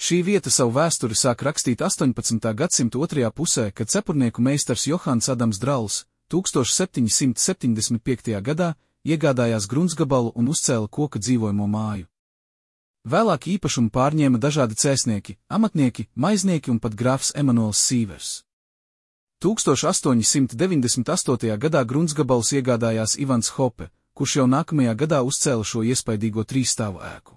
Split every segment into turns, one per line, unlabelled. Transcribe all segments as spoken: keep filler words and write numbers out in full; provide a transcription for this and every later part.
Šī vieta savu vēsturi sāk rakstīt astoņpadsmitā gadsimta otrajā pusē, kad cepurnieku meistars Johans Adams Drauls tūkstoš septiņi simti septiņdesmit piektajā gadā iegādājās gruntsgabalu un uzcēla koka dzīvojamo māju. Vēlāk īpašumu pārņēma dažādi cēsnieki, amatnieki, maiznieki un pat grāfs Emanuels Sīvers. tūkstoš astoņi simti deviņdesmit astotajā gadā gruntsgabalus iegādājās Ivans Hope, kurš jau nākamajā gadā uzcēla šo iespaidīgo trīsstāvu ēku.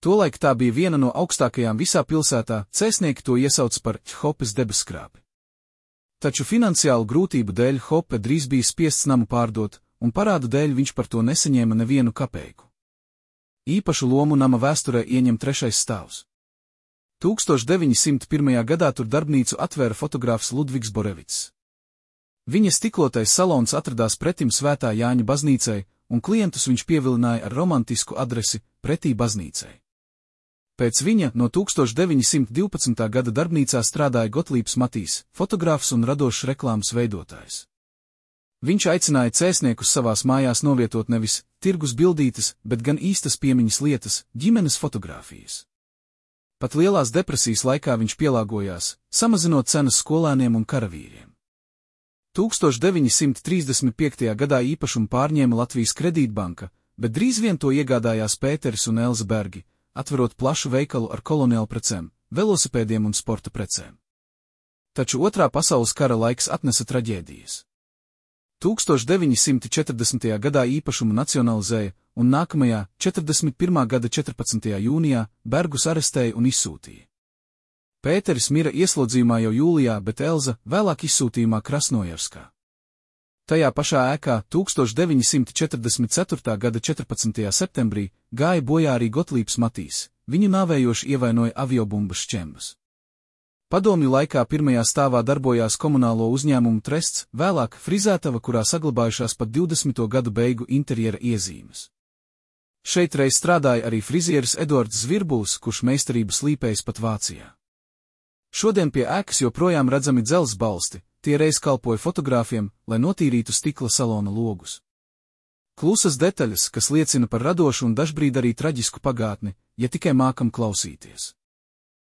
Tolaik tā bija viena no augstākajām visā pilsētā, cēsnieki to iesauc par Hopes debesskrāpi. Taču finansiālu grūtību dēļ Hope drīz bija spiests namu pārdot, un parādu dēļ viņš par to nesaņēma nevienu kapeiku. Īpašu lomu nama vēsturē ieņem trešais stāvs. tūkstoš deviņi simti pirmajā gadā tur darbnīcu atvēra fotogrāfs Ludvigs Borevits. Viņa stiklotais salons atradās pretim Svētā Jāņa baznīcai, un klientus viņš pievilināja ar romantisku adresi pretī baznīcai. Pēc viņa no tūkstoš deviņi simti divpadsmitā gada darbnīcā strādāja Gotlības Matīs, fotogrāfs un radošs reklāmas veidotājs. Viņš aicināja cēsniekus savās mājās novietot nevis tirgus bildītes, bet gan īstas piemiņas lietas, ģimenes fotogrāfijas. Pat lielās depresijas laikā viņš pielāgojās, samazinot cenas skolēniem un karavīriem. tūkstoš deviņi simti trīsdesmit piektajā gadā īpašumu pārņēma Latvijas Kredītbanka, bet drīz vien to iegādājās Pēteris un Elza Bergi, atverot plašu veikalu ar koloniālu precēm, velosipēdiem un sporta precēm. Taču otrā pasaules kara laiks atnesa traģēdijas. tūkstoš deviņi simti četrdesmitajā gadā īpašumu nacionalizēja, un nākamajā, četrdesmit pirmā gada četrpadsmitajā jūnijā, Bergus arestēja un izsūtīja. Pēteris mira ieslodzījumā jau jūlijā, bet Elza vēlāk izsūtījumā Krasnojarskā. Tajā pašā ēkā tūkstoš deviņi simti četrdesmit ceturtā gada četrpadsmitajā septembrī gāja bojā arī Gotlības Matīs, viņu nāvējoši ievainoja aviobumbas šķembas. Padomju laikā pirmajā stāvā darbojās komunālo uzņēmumu trests, vēlāk frizētava, kurā saglabājušās pat divdesmito gadu beigu interjera iezīmes. Šeit reiz strādāja arī frizieris Edvards Zvirbuls, kurš meistarību slīpējis pat Vācijā. Šodien pie ēkas joprojām redzami dzelzs balsti, tie reiz kalpoja fotogrāfiem, lai notīrītu stikla salona logus. Klusas detaļas, kas liecina par radošu un dažbrīd arī traģisku pagātni, ja tikai mākam klausīties.